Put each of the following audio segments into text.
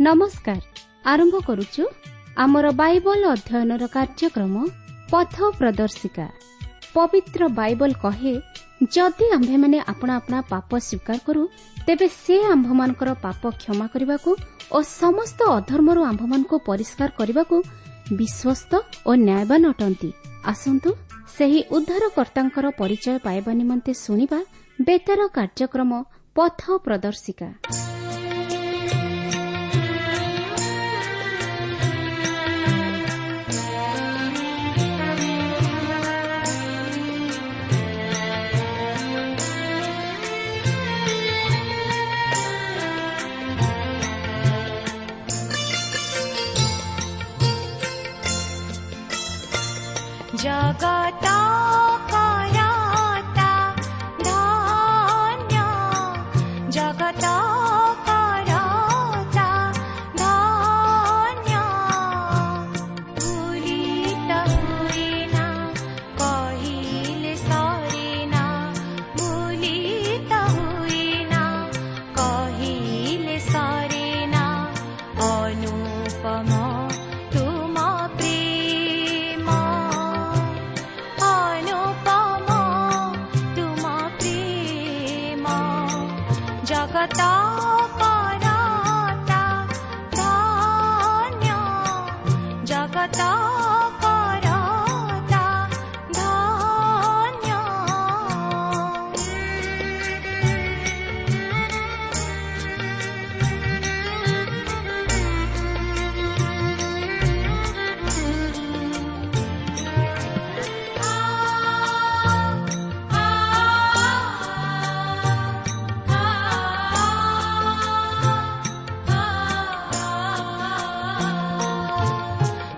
ନମସ୍କାର। ଆରମ୍ଭ କରୁଛୁ ଆମର ବାଇବଲ ଅଧ୍ୟୟନର କାର୍ଯ୍ୟକ୍ରମ ପଥ ପ୍ରଦର୍ଶିକା। ପବିତ୍ର ବାଇବଲ କହେ, ଯଦି ଆମ୍ଭେମାନେ ଆପଣା ଆପଣା ପାପ ସ୍ୱୀକାର କରୁ, ତେବେ ସେ ଆମ୍ଭମାନଙ୍କର ପାପ କ୍ଷମା କରିବାକୁ ଓ ସମସ୍ତ ଅଧର୍ମରୁ ଆମ୍ଭମାନଙ୍କୁ ପରିଷ୍କାର କରିବାକୁ ବିଶ୍ୱସ୍ତ ଓ ନ୍ୟାୟବାନ ଅଟନ୍ତି। ଆସନ୍ତୁ ସେହି ଉଦ୍ଧାରକର୍ତ୍ତାଙ୍କର ପରିଚୟ ପାଇବା ନିମନ୍ତେ ଶୁଣିବା ବେତାର କାର୍ଯ୍ୟକ୍ରମ ପଥ ପ୍ରଦର୍ଶିକା। ଜଗତ କରତା ଧନ୍ୟ, ଜଗତ କରତା ଧନ୍ୟ, ଭୁଲିତ ହୁଏନା କହିଲେ ସରେନା, ଭୁଲିତ ହୁଏନା କହିଲେ ସରେନା, ଅନୁପମ ତୁମ ପ୍ରେମ, ଅନୁପମ ତୁମ ପ୍ରେମ। ଜଗତ କରତା ଧନ୍ୟ, ଜଗତ କରତା ଧନ୍ୟ।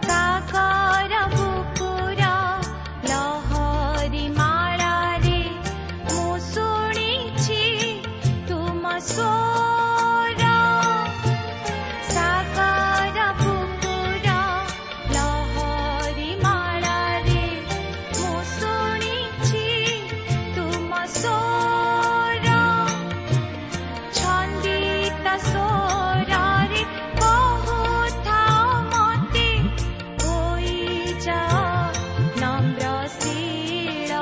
ସାଗର ବୁକୁର ଲହରୀ ମାଳାରେ ମୁଁ ଶୁଣିଛି ତୁମ ସ୍ୱର। ସାଗର ବୁକୁର ଲହରୀ ମାଳାରେ ମୁଁ ଶୁଣିଛି ତୁମ ସ୍ୱର। ଛନ୍ଦିତ ସ୍ୱରରେ କହୁଥାଅ ମତେ, ହୋଇଯାଅ ନମ୍ରଶୀଳ।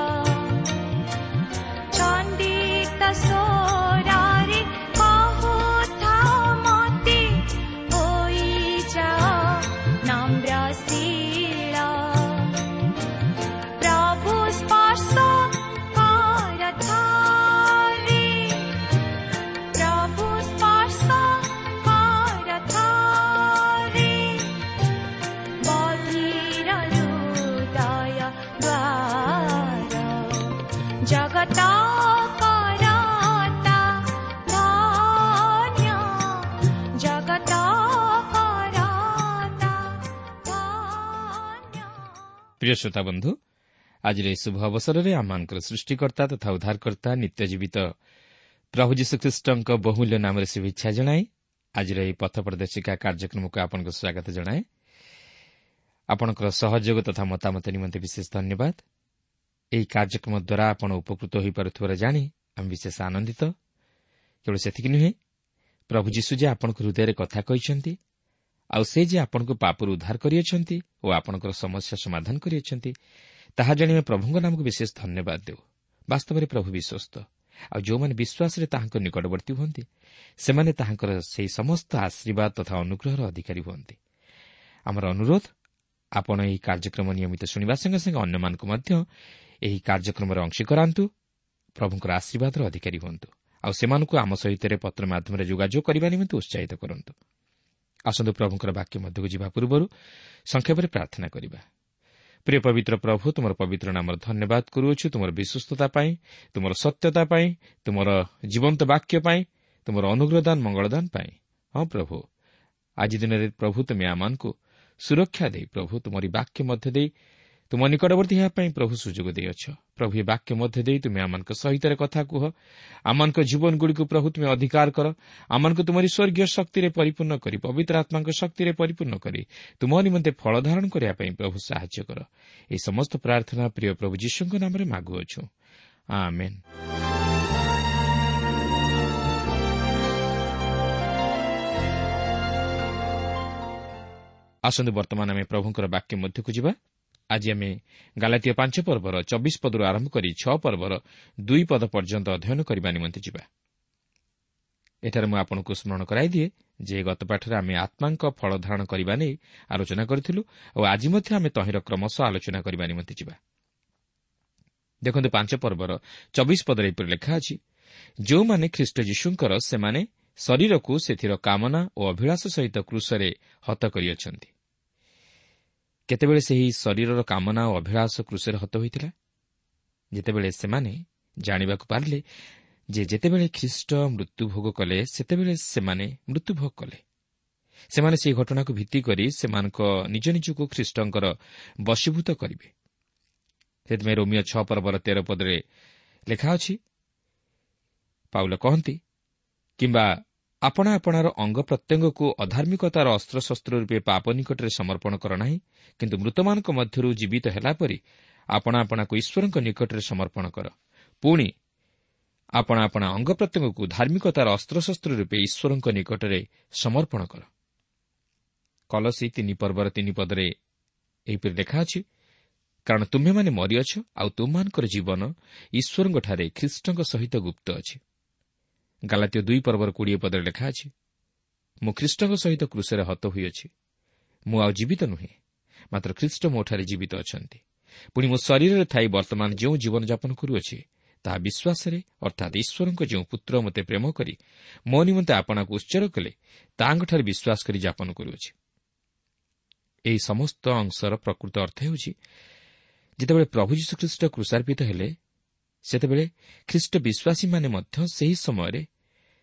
ଛନ୍ଦିତ ସ୍ୱରରେ କହୁଥାଅ ମତେ, ହୋଇଯାଅ ନମ୍ରଶୀଳ। ପ୍ରଭୁ ସ୍ପର୍ଶ କରଥାରେ, ପ୍ରଭୁ ସ୍ପର୍ଶ କରଥାରେ, ବଧିର ହୃଦୟ ଦ୍ୱାର। ଜଗତ କରତା ଧନ୍ୟ, ଜଗତ କରତା ଧନ୍ୟ। ପ୍ରିୟ ଶ୍ରୋତା ବନ୍ଧୁ, ଆଜିର ଏହି ଶୁଭ ଅବସରରେ ଆମମାନଙ୍କର ସୃଷ୍ଟିକର୍ତ୍ତା ତଥା ଉଦ୍ଧାରକର୍ତ୍ତା ନିତ୍ୟଜୀବିତ ପ୍ରଭୁ ଯୀଶୁଖ୍ରୀଷ୍ଟଙ୍କ ବହୁମୂଲ୍ୟ ନାମରେ ଶୁଭେଚ୍ଛା ଜଣାଇ ଆଜିର ଏହି ପଥ ପ୍ରଦର୍ଶିକା କାର୍ଯ୍ୟକ୍ରମକୁ ଆପଣଙ୍କୁ ସ୍ୱାଗତ ଜଣାଏ। ଆପଣଙ୍କର ସହଯୋଗ ତଥା ମତାମତ ନିମନ୍ତେ ବିଶେଷ ଧନ୍ୟବାଦ। ଏହି କାର୍ଯ୍ୟକ୍ରମ ଦ୍ୱାରା ଆପଣ ଉପକୃତ ହୋଇପାରୁଥିବାର ଜାଣି ଆମେ ବିଶେଷ ଆନନ୍ଦିତ। କେବଳ ସେତିକି ନୁହେଁ, ପ୍ରଭୁ ଯୀଶୁ ଯେ ଆପଣଙ୍କ ହୃଦୟରେ କଥା କହିଛନ୍ତି ଆଉ ସେ ଯେ ଆପଣଙ୍କୁ ପାପରୁ ଉଦ୍ଧାର କରିଅଛନ୍ତି ଓ ଆପଣଙ୍କର ସମସ୍ୟା ସମାଧାନ କରିଅଛନ୍ତି, ତାହା ଜାଣି ଆମେ ପ୍ରଭୁଙ୍କ ନାମକୁ ବିଶେଷ ଧନ୍ୟବାଦ ଦେଉ। ବାସ୍ତବରେ ପ୍ରଭୁ ବିଶ୍ୱସ୍ତ, ଆଉ ଯେଉଁମାନେ ବିଶ୍ୱାସରେ ତାହାଙ୍କ ନିକଟବର୍ତ୍ତୀ ହୁଅନ୍ତି, ସେମାନେ ତାହାଙ୍କର ସେହି ସମସ୍ତ ଆଶୀର୍ବାଦ ତଥା ଅନୁଗ୍ରହର ଅଧିକାରୀ ହୁଅନ୍ତି। ଆମର ଅନୁରୋଧ, ଆପଣ ଏହି କାର୍ଯ୍ୟକ୍ରମ ନିୟମିତ ଶୁଣିବା ସଙ୍ଗେ ସଙ୍ଗେ ଅନ୍ୟମାନଙ୍କୁ ମଧ୍ୟ ଏହି କାର୍ଯ୍ୟକ୍ରମରେ ଅଂଶୀ କରାନ୍ତୁ, ପ୍ରଭୁଙ୍କର ଆଶୀର୍ବାଦର ଅଧିକାରୀ ହୁଅନ୍ତୁ ଆଉ ସେମାନଙ୍କୁ ଆମ ସହିତ ପତ୍ର ମାଧ୍ୟମରେ ଯୋଗାଯୋଗ କରିବା ନିମନ୍ତେ ଉତ୍ସାହିତ କରନ୍ତୁ। ଆସନ୍ତୁ ପ୍ରଭୁଙ୍କର ବାକ୍ୟ ମଧ୍ୟକୁ ଯିବା ପୂର୍ବରୁ ସଂକ୍ଷେପରେ ପ୍ରାର୍ଥନା କରିବା। ପ୍ରିୟ ପବିତ୍ର ପ୍ରଭୁ, ତୁମର ପବିତ୍ର ନାମର ଧନ୍ୟବାଦ କରୁଅଛୁ ତୁମର ବିଶ୍ୱସ୍ତତା ପାଇଁ, ତୁମର ସତ୍ୟତା ପାଇଁ, ତୁମର ଜୀବନ୍ତ ବାକ୍ୟ ପାଇଁ, ତୁମର ଅନୁଗ୍ରହଦାନ ମଙ୍ଗଳଦାନ ପାଇଁ। ହଁ ପ୍ରଭୁ, ଆଜି ଦିନରେ ପ୍ରଭୁ ତୁମେ ଆମମାନଙ୍କୁ ସୁରକ୍ଷା ଦେଇ ପ୍ରଭୁ ତୁମରି ବାକ୍ୟ ମଧ୍ୟ ଦେଇ ତୁମ ନିକଟବର୍ତ୍ତୀ ହେବା ପାଇଁ ପ୍ରଭୁ ସୁଯୋଗ ଦେଇଅଛ। ପ୍ରଭୁ, ଏ ବାକ୍ୟ ମଧ୍ୟ ଦେଇ ତୁମେ ଆମମାନଙ୍କ ସହିତ କଥା କୁହ। ଆମମାନଙ୍କ ଜୀବନଗୁଡ଼ିକୁ ପ୍ରଭୁ ତୁମେ ଅଧିକାର କର। ଆମମାନଙ୍କୁ ତୁମରି ସ୍ୱର୍ଗୀୟ ଶକ୍ତିରେ ପରିପୂର୍ଣ୍ଣ କରି, ପବିତ୍ର ଆତ୍ମାଙ୍କ ଶକ୍ତିରେ ପରିପୂର୍ଣ୍ଣ କରି ତୁମ ନିମନ୍ତେ ଫଳ ଧାରଣ କରିବା ପାଇଁ ପ୍ରଭୁ ସାହାଯ୍ୟ କର। ଏହି ସମସ୍ତ ପ୍ରାର୍ଥନା ପ୍ରିୟ ପ୍ରଭୁ ଯୀଶୁଙ୍କ ନାମରେ ମାଗୁଅଛୁ, ଆମେନ୍। ଆସନ୍ତୁ ବର୍ତ୍ତମାନ ଆମେ ପ୍ରଭୁଙ୍କର ବାକ୍ୟ ମଧ୍ୟକୁ ଯିବା। ଆଜି ଆମେ ଗାଲାତୀୟ 5 ପର୍ବର 24 ପଦରୁ ଆରମ୍ଭ କରି 6 ପର୍ବର 2 ପଦ ପର୍ଯ୍ୟନ୍ତ ଅଧ୍ୟୟନ କରିବା ନିମନ୍ତେ ଯିବା। ଏଠାରେ ମୁଁ ଆପଣଙ୍କୁ ସ୍ମରଣ କରାଇଦିଏ ଯେ ଗତ ପାଠରେ ଆମେ ଆତ୍ମାଙ୍କ ଫଳ ଧାରଣ କରିବା ନେଇ ଆଲୋଚନା କରିଥିଲୁ ଓ ଆଜି ମଧ୍ୟ ଆମେ ତହିଁର କ୍ରମଶଃ ଆଲୋଚନା କରିବା ନିମନ୍ତେ ଯିବା। ଦେଖନ୍ତୁ 5 ପର୍ବର 24 ପଦରେ ଏପରି ଲେଖା ଅଛି, ଯେଉଁମାନେ ଖ୍ରୀଷ୍ଟ ଯୀଶୁଙ୍କର ସେମାନେ ଶରୀରକୁ ସେଥିର କାମନା ଓ ଅଭିଳାଷ ସହିତ କ୍ରୁଶରେ ହତ କରିଅଛନ୍ତି। କେତେବେଳେ ସେହି ଶରୀରର କାମନା ଓ ଅଭିଳାଷ କ୍ରୁଶରେ ହତ ହୋଇଥିଲା? ଯେତେବେଳେ ସେମାନେ ଜାଣିବାକୁ ପାରିଲେ ଯେ ଯେତେବେଳେ ଖ୍ରୀଷ୍ଟ ମୃତ୍ୟୁଭୋଗ କଲେ ସେତେବେଳେ ସେମାନେ ମୃତ୍ୟୁଭୋଗ କଲେ। ସେମାନେ ସେହି ଘଟଣାକୁ ଭିତ୍ତି କରି ସେମାନଙ୍କ ନିଜ ନିଜକୁ ଖ୍ରୀଷ୍ଟଙ୍କର ବଶୀଭୂତ କରିବେ। ସେଥିପାଇଁ ରୋମିଓ 6 ପର୍ବର 13 ପଦରେ ଲେଖା ଅଛି, ପାଉଲ କହନ୍ତି, କିମ୍ବା ଆପଣା ଆପଣାର ଅଙ୍ଗ ପ୍ରତ୍ୟଙ୍ଗକୁ ଅଧାର୍ମିକତାର ଅସ୍ତ୍ରଶସ୍ତ୍ର ରୂପେ ପାପ ନିକଟରେ ସମର୍ପଣ କର ନାହିଁ, କିନ୍ତୁ ମୃତମାନଙ୍କ ମଧ୍ୟରୁ ଜୀବିତ ହେଲା ପରି ଆପଣା ଆପଣାକୁ ଈଶ୍ୱରଙ୍କ ନିକଟରେ ସମର୍ପଣ କର। ପୁଣି ଆପଣା ଆପଣା ଅଙ୍ଗ ପ୍ରତ୍ୟଙ୍ଗକୁ ଧାର୍ମିକତାର ଅସ୍ତ୍ରଶସ୍ତ୍ର ରୂପେ ଈଶ୍ୱରଙ୍କ ନିକଟରେ ସମର୍ପଣ କର। କଲସୀ 3 ପର୍ବର 3 ପଦରେ ଏହିପରି ଲେଖା ଅଛି, କାରଣ ତୁମ୍ଭେମାନେ ମରିଅଛ, ଆଉ ତୁମ୍ଭମାନଙ୍କର ଜୀବନ ଈଶ୍ୱରଙ୍କଠାରେ ଖ୍ରୀଷ୍ଟଙ୍କ ସହିତ ଗୁପ୍ତ ଅଛି। ଗାଲାତୀୟ 2 ପର୍ବର 20 ପଦରେ ଲେଖା ଅଛି, ମୁଁ ଖ୍ରୀଷ୍ଟଙ୍କ ସହିତ କ୍ରୁଶରେ ହତ ହୋଇଅଛି, ମୁଁ ଆଉ ଜୀବିତ ନୁହେଁ, ମାତ୍ର ଖ୍ରୀଷ୍ଟ ମୋଠାରେ ଜୀବିତ ଅଛନ୍ତି। ପୁଣି ମୋ ଶରୀରରେ ଥାଇ ବର୍ତ୍ତମାନ ଯେଉଁ ଜୀବନଯାପନ କରୁଅଛି ତାହା ବିଶ୍ୱାସରେ, ଅର୍ଥାତ୍ ଈଶ୍ୱରଙ୍କ ଯେଉଁ ପୁତ୍ର ମୋତେ ପ୍ରେମ କରି ମୋ ନିମନ୍ତେ ଆପଣାକୁ ଉତ୍ସର୍ଗ କଲେ ତାହାଙ୍କଠାରେ ବିଶ୍ୱାସ କରି ଯାପନ କରୁଅଛି। ଏହି ସମସ୍ତ ଅଂଶର ପ୍ରକୃତ ଅର୍ଥ ହେଉଛି, ଯେତେବେଳେ ପ୍ରଭୁ ଯୀଶୁଖ୍ରୀଷ୍ଟ କ୍ରୁଶାର୍ପିତ ହେଲେ ସେତେବେଳେ ଖ୍ରୀଷ୍ଟ ବିଶ୍ୱାସୀମାନେ ମଧ୍ୟ ସେହି ସମୟରେ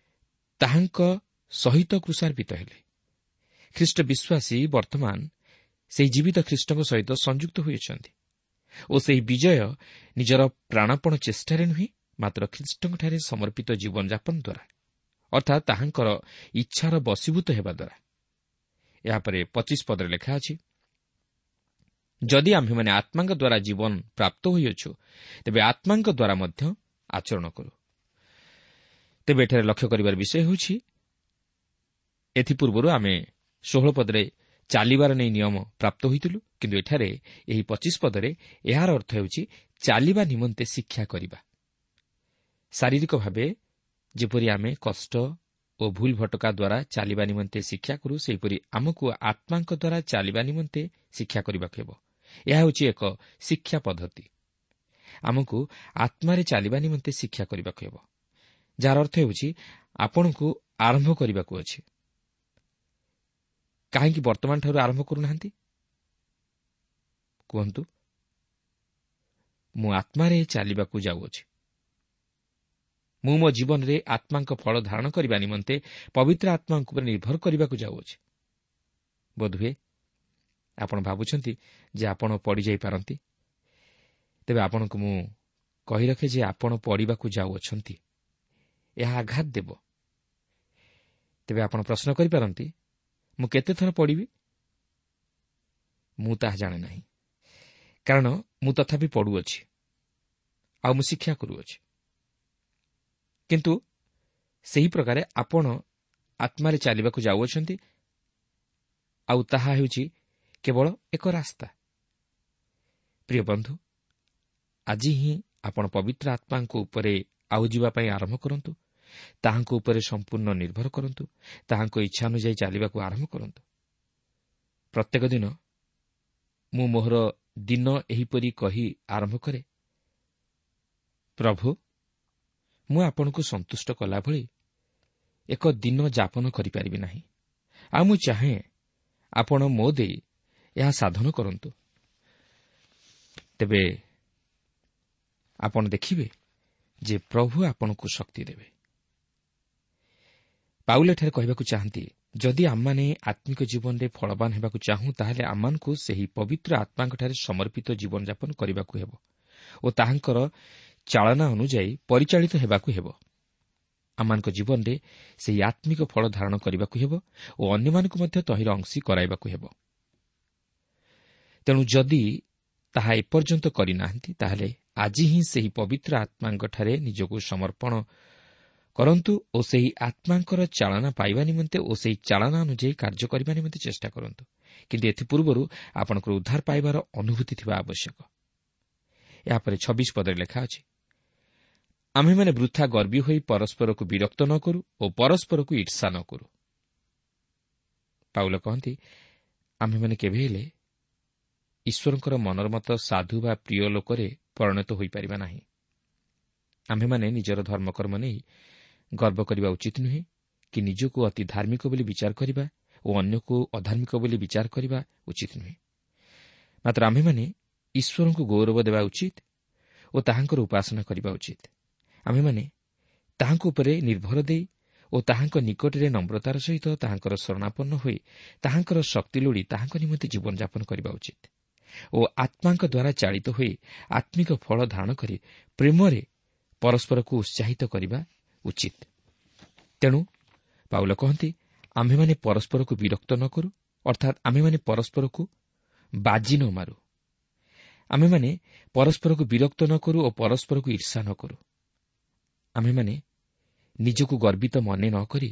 ତାହାଙ୍କ ସହିତ କ୍ରୁଶାର୍ପିତ ହେଲେ। ଖ୍ରୀଷ୍ଟ ବିଶ୍ୱାସୀ ବର୍ତ୍ତମାନ ସେହି ଜୀବିତ ଖ୍ରୀଷ୍ଟଙ୍କ ସହିତ ସଂଯୁକ୍ତ ହୋଇଅଛନ୍ତି ଓ ସେହି ବିଜୟ ନିଜର ପ୍ରାଣପଣ ଚେଷ୍ଟାରେ ନୁହେଁ, ମାତ୍ର ଖ୍ରୀଷ୍ଟଙ୍କଠାରେ ସମର୍ପିତ ଜୀବନଯାପନ ଦ୍ୱାରା, ଅର୍ଥାତ୍ ତାହାଙ୍କର ଇଚ୍ଛାର ବଶୀଭୂତ ହେବା ଦ୍ୱାରା। ଏହାପରେ 25 ପଦରେ ଲେଖା ଅଛି, ଯଦି ଆମ୍ଭେମାନେ ଆତ୍ମାଙ୍କ ଦ୍ୱାରା ଜୀବନ ପ୍ରାପ୍ତ ହୋଇଅଛୁ ତେବେ ଆତ୍ମାଙ୍କ ଦ୍ୱାରା ମଧ୍ୟ ଆଚରଣ କରୁ। ତେବେ ଏଠାରେ ଲକ୍ଷ୍ୟ କରିବାର ବିଷୟ ହେଉଛି, ଏଥିପୂର୍ବରୁ ଆମେ 16 ପଦରେ ଚାଲିବାର ନେଇ ନିୟମ ପ୍ରାପ୍ତ ହୋଇଥିଲୁ, କିନ୍ତୁ ଏଠାରେ ଏହି 25 ପଦରେ ଏହାର ଅର୍ଥ ହେଉଛି ଚାଲିବା ନିମନ୍ତେ ଶିକ୍ଷା କରିବା। ଶାରୀରିକ ଭାବେ ଯେପରି ଆମେ କଷ୍ଟ ଓ ଭୁଲ ଭଟକା ଦ୍ୱାରା ଚାଲିବା ନିମନ୍ତେ ଶିକ୍ଷା କରୁ, ସେହିପରି ଆମକୁ ଆତ୍ମାଙ୍କ ଦ୍ୱାରା ଚାଲିବା ନିମନ୍ତେ ଶିକ୍ଷା କରିବାକୁ ହେବ। ଏହା ହେଉଛି ଏକ ଶିକ୍ଷା ପଦ୍ଧତି। ଆମକୁ ଆତ୍ମାରେ ଚାଲିବା ନିମନ୍ତେ ଶିକ୍ଷା କରିବାକୁ ହେବ, ଯାହାର ଅର୍ଥ ହେଉଛି ଆପଣଙ୍କୁ ଆରମ୍ଭ କରିବାକୁ ଅଛି। କାହିଁକି ବର୍ତ୍ତମାନଠାରୁ ଆରମ୍ଭ କରୁନାହାନ୍ତି? କୁହନ୍ତୁ, ମୁଁ ଆତ୍ମାରେ ଚାଲିବାକୁ ଯାଉଅଛି। ମୁଁ ମୋ ଜୀବନରେ ଆତ୍ମାଙ୍କ ଫଳ ଧାରଣ କରିବା ନିମନ୍ତେ ପବିତ୍ର ଆତ୍ମାଙ୍କ ଉପରେ ନିର୍ଭର କରିବାକୁ ଯାଉଅଛି। ବୋଧହୁଏ ଆପଣ ଭାବୁଛନ୍ତି ଯେ ଆପଣ ପଡ଼ିଯାଇପାରନ୍ତି। ତେବେ ଆପଣଙ୍କୁ ମୁଁ କହି ରଖେ ଯେ ଆପଣ ପଡ଼ିବାକୁ ଯାଉଅଛନ୍ତି, ଏହା ଆଘାତ ଦେବ। ତେବେ ଆପଣ ପ୍ରଶ୍ନ କରିପାରନ୍ତି, ମୁଁ କେତେଥର ପଡ଼ିବି? ମୁଁ ତାହା ଜାଣେ ନାହିଁ, କାରଣ ମୁଁ ତଥାପି ପଡ଼ୁଅଛି ଆଉ ମୁଁ ଶିକ୍ଷା କରୁଅଛି। କିନ୍ତୁ ସେହି ପ୍ରକାରେ ଆପଣ ଆତ୍ମାରେ ଚାଲିବାକୁ ଯାଉଅଛନ୍ତି, ଆଉ ତାହା ହେଉଛି କେବଳ ଏକ ରାସ୍ତା। ପ୍ରିୟ ବନ୍ଧୁ, ଆଜି ହିଁ ଆପଣ ପବିତ୍ର ଆତ୍ମାଙ୍କ ଉପରେ ଆଉ ଯିବା ପାଇଁ ଆରମ୍ଭ କରନ୍ତୁ। ତାହାଙ୍କ ଉପରେ ସମ୍ପୂର୍ଣ୍ଣ ନିର୍ଭର କରନ୍ତୁ। ତାହାଙ୍କ ଇଚ୍ଛା ଅନୁଯାୟୀ ଚାଲିବାକୁ ଆରମ୍ଭ କରନ୍ତୁ। ପ୍ରତ୍ୟେକ ଦିନ ମୁଁ ମୋହର ଦିନ ଏହିପରି କହି ଆରମ୍ଭ କରେ, ପ୍ରଭୁ, ମୁଁ ଆପଣଙ୍କୁ ସନ୍ତୁଷ୍ଟ କଲା ଭଳି ଏକ ଦିନ ଯାପନ କରିପାରିବି ନାହିଁ, ଆଉ ମୁଁ ଚାହେଁ ଆପଣ ମୋ ଦେଇ ଏହା ସାଧନ କରନ୍ତୁ। ତେବେ ଆପଣ ଦେଖିବେ ଯେ ପ୍ରଭୁ ଆପଣଙ୍କୁ ଶକ୍ତି ଦେବେ। ପାଉଲ ଏଠାରେ କହିବାକୁ ଚାହାନ୍ତି, ଯଦି ଆମମାନେ ଆତ୍ମିକ ଜୀବନରେ ଫଳବାନ ହେବାକୁ ଚାହୁଁ, ତାହେଲେ ଆମମାନଙ୍କୁ ସେହି ପବିତ୍ର ଆତ୍ମାଙ୍କଠାରେ ସମର୍ପିତ ଜୀବନଯାପନ କରିବାକୁ ହେବ ଓ ତାହାଙ୍କର ଚାଳନା ଅନୁଯାୟୀ ପରିଚାଳିତ ହେବାକୁ ହେବ। ଆମମାନଙ୍କ ଜୀବନରେ ସେହି ଆତ୍ମିକ ଫଳ ଧାରଣ କରିବାକୁ ହେବ ଓ ଅନ୍ୟମାନଙ୍କୁ ମଧ୍ୟ ତହିଁର ଅଂଶୀ କରାଇବାକୁ ହେବ। ତେଣୁ ଯଦି ତାହା ଏପର୍ଯ୍ୟନ୍ତ କରିନାହାନ୍ତି, ତାହେଲେ ଆଜି ହିଁ ସେହି ପବିତ୍ର ଆତ୍ମାଙ୍କଠାରେ ନିଜକୁ ସମର୍ପଣ କରନ୍ତୁ ଓ ସେହି ଆତ୍ମାଙ୍କର ଚାଳନା ପାଇବା ନିମନ୍ତେ ଓ ସେହି ଚାଳନା ଅନୁଯାୟୀ କାର୍ଯ୍ୟ କରିବା ନିମନ୍ତେ ଚେଷ୍ଟା କରନ୍ତୁ। କିନ୍ତୁ ଏଥିପୂର୍ବରୁ ଆପଣଙ୍କର ଉଦ୍ଧାର ପାଇବାର ଅନୁଭୂତି ଥିବା ଆବଶ୍ୟକ। ଏହାପରେ 26 ପଦରେ ଲେଖା ଅଛି, ଆମ୍ଭେମାନେ ବୃଥା ଗର୍ବୀ ହୋଇ ପରସ୍ପରକୁ ବିରକ୍ତ ନ କରୁ ଓ ପରସ୍ପରକୁ ଈର୍ଷା ନ କରୁ। ପାଉଲ କହନ୍ତି, ଆମ୍ଭେମାନେ କେବେ ହେଲେ ଈଶ୍ୱରଙ୍କର ମନୋରମତ ସାଧୁ ବା ପ୍ରିୟ ଲୋକରେ ପରିଣତ ହୋଇପାରିବା ନାହିଁ। ଆମ୍ଭେମାନେ ନିଜର ଧର୍ମକର୍ମ ନେଇ ଗର୍ବ କରିବା ଉଚିତ ନୁହେଁ କି ନିଜକୁ ଅତି ଧାର୍ମିକ ବୋଲି ବିଚାର କରିବା ଓ ଅନ୍ୟକୁ ଅଧାର୍ମିକ ବୋଲି ବିଚାର କରିବା ଉଚିତ ନୁହେଁ। ମାତ୍ର ଆମ୍ଭେମାନେ ଈଶ୍ୱରଙ୍କୁ ଗୌରବ ଦେବା ଉଚିତ ଓ ତାହାଙ୍କର ଉପାସନା କରିବା ଉଚିତ। ଆମ୍ଭେମାନେ ତାହାଙ୍କ ଉପରେ ନିର୍ଭର ଦେଇ ଓ ତାହାଙ୍କ ନିକଟରେ ନମ୍ରତାର ସହିତ ତାହାଙ୍କର ଶରଣାପନ୍ନ ହୋଇ ତାହାଙ୍କର ଶକ୍ତି ଲୋଡ଼ି ତାହାଙ୍କ ନିମନ୍ତେ ଜୀବନଯାପନ କରିବା ଉଚିତ ଓ ଆତ୍ମାଙ୍କ ଦ୍ୱାରା ଚାଳିତ ହୋଇ ଆତ୍ମିକ ଫଳ ଧାରଣ କରି ପ୍ରେମରେ ପରସ୍ପରକୁ ଉତ୍ସାହିତ କରିବା ଉଚିତ। ତେଣୁ ପାଉଲ କହନ୍ତି, ଆମ୍ଭେମାନେ ପରସ୍ପରକୁ ବିରକ୍ତ ନ କରୁ, ଅର୍ଥାତ୍ ଆମ୍ଭେମାନେ ପରସ୍ପରକୁ ବାଜି ନ ମାରୁ। ଆମ୍ଭେମାନେ ପରସ୍ପରକୁ ବିରକ୍ତ ନ କରୁ ଓ ପରସ୍ପରକୁ ଈର୍ଷା ନ କରୁ। ଆମ୍ଭେମାନେ ନିଜକୁ ଗର୍ବିତ ମନେ ନ କରି